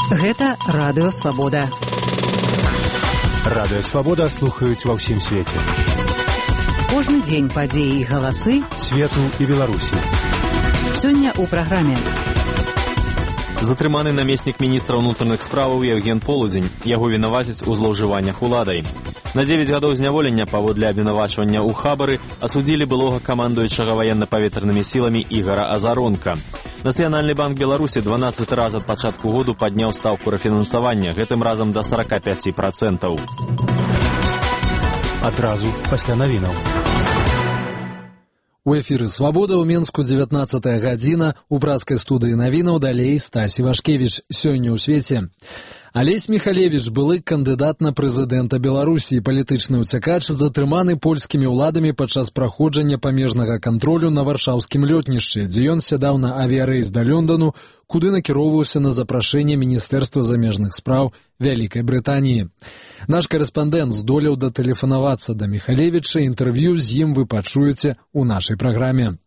Гэта Радыё Свабода. Радыё Свабода слухаюць ва ўсім свеце. Кожны дзень падзеі і галасы свету і Беларусі. Сёння ў праграме. Затрыманы намеснік міністра ўнутраных справаў Евген Полудзень. Яго вінавацяць у злоўжываннях уладай. На 9 гадоў зняволення паводле абвінавачвання ў хабары асудзілі былога камандуючага ваенна-паветранымі сіламі Ігара Азаронка. Нацыянальны банк Беларусі 12 раз ад пачатку году падняў стаўку рэфінансавання, гэтым разам да 45%. Адразу пасля навінаў. У эфіры «Свабода» ў Менску 19 гадзіна. У праскай студыі навінаў далей Стась Івашкевіч. Сёння ў свеце. Алесь Михалевич, былы кандыдат на прэзідэнта Беларусі, палітычны ўцякач, затрыманы польскімі ўладамі падчас праходжання памежнага кантролю на варшаўскім лётнішчы, дзе ён сядаў на авіярэйс да Лондону, куды накіроўваўся на запрашэнне Міністэрства замежных спраў Вялікай Брытаніі. Наш карэспандэнт здолеў датэлефанавацца да Михалевіча, інтэрв'ю з ім вы пачуеце ў нашай праграме.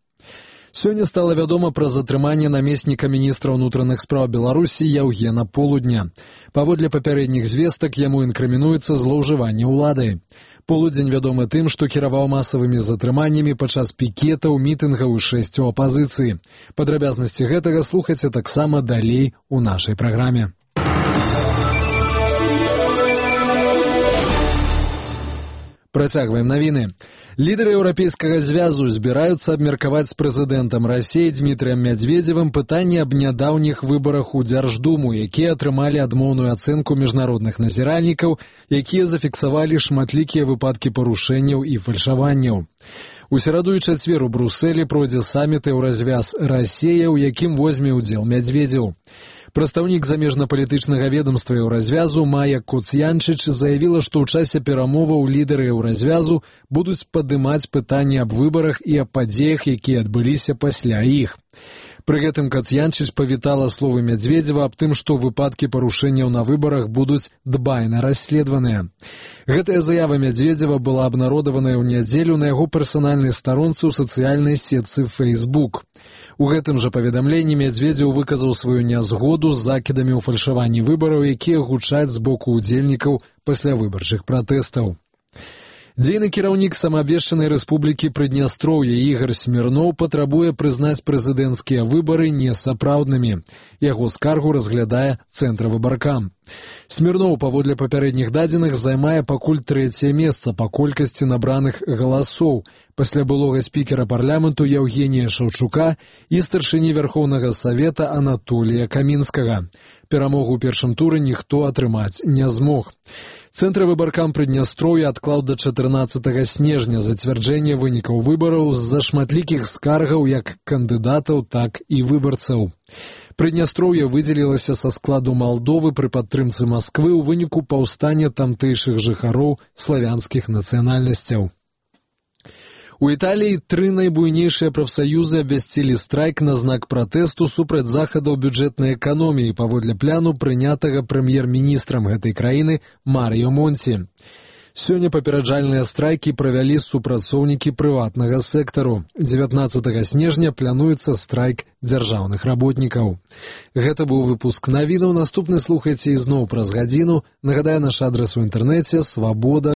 Сёння стала вядома пра затрыманне намесніка міністра ўнутраных спраў Беларусі Евгена Полудня. Паводле папярэдніх звестак яму інкрымінуецца злоўжыванне ўладай. Полудзень вядомы тым, што кіраваў масавымі затрыманнямі падчас пікетаў, мітынгаў і шэсцю апазіцыі. Падрабязнасці гэтага слухайце таксама далей у нашай праграме. Працягваем навіны. Лідары Еўрапейскага звязу збіраюцца абмеркаваць з прэзідэнтам Расіі Дмітрыем Мядзведзевым пытанне аб нядаўніх выбарах у Дзярждуму, якія атрымалі адмоўную ацэнку міжнародных назіральнікаў, якія зафіксавалі шматлікія выпадкі парушэнняў і фальшаванняў. У сераду і чацвер у Брусэлі пройдзе саміт Еўразвяз Расія, у якім возьме ўдзел Мядзведзеў. Прадстаўнік замежна-палітычнага ведамства Еўразвязу Майя Коцянчыч заявіла, што ў часе перамоваў лідары Еўразвязу будуць падымаць пытанні аб выбарах і аб падзеях, якія адбыліся пасля іх. Пры гэтым Коцянчыч павітала словы Мядзведзева аб тым, што выпадкі парушэнняў на выбарах будуць дбайна расследаваныя. Гэтая заява Мядзведзева была абнародаваная ў нядзелю на яго персанальнай старонцы ў сацыяльнай сетцы Facebook. У гэтым жа паведамленні Мядзведзеў выказаў сваю нязгоду з закідамі ў фальшаванні выбараў, якія гучаць з боку ўдзельнікаў паслявыбарчых пратэстаў. Дзейны кіраўнік самаабвешчанай рэспублікі Прыднястроўе Ігар Смірноў патрабуе прызнаць прэзідэнцкія выбары несапраўднымі. Яго скаргу разглядае Цэнтравыбаркам. Смірноў, паводле папярэдніх дадзеных, займае пакуль 3е месца па колькасці набраных галасоў, пасля былога спікера парламенту Евгенія Шаўчука і старшыні Вярхоўнага Савета Анатолія Камінскага. Перамогу ў першым туры ніхто атрымаць не змог. Цэнтравыбаркам Прыднястроўя адклаў да 14 снежня зацвярджэнне вынікаў выбараў з-за шматлікіх скаргаў як кандыдатаў, так і выбарцаў. Прыднястроўе выдзелілася са складу Малдовы пры падтрымцы Масквы ў выніку паўстання тамтэйшых жыхароў славянскіх нацыянальнасцяў. У Італіі 3 найбуйнейшыя прафсаюзы абвясцілі страйк на знак пратэсту супраць захадаў бюджэтнай эканоміі паводле пляну, прынятага прэм'ер-міністрам гэтай краіны Марыё Монці. Сёння папераджальныя страйкі правялі супрацоўнікі прыватнага сектару. 19 снежня плануецца страйк дзяржаўных работнікаў. Гэта быў выпуск навінаў. Наступны слухайце ізноў праз гадзіну. Нагадаю, наш адрас у інтэрнэце свабода.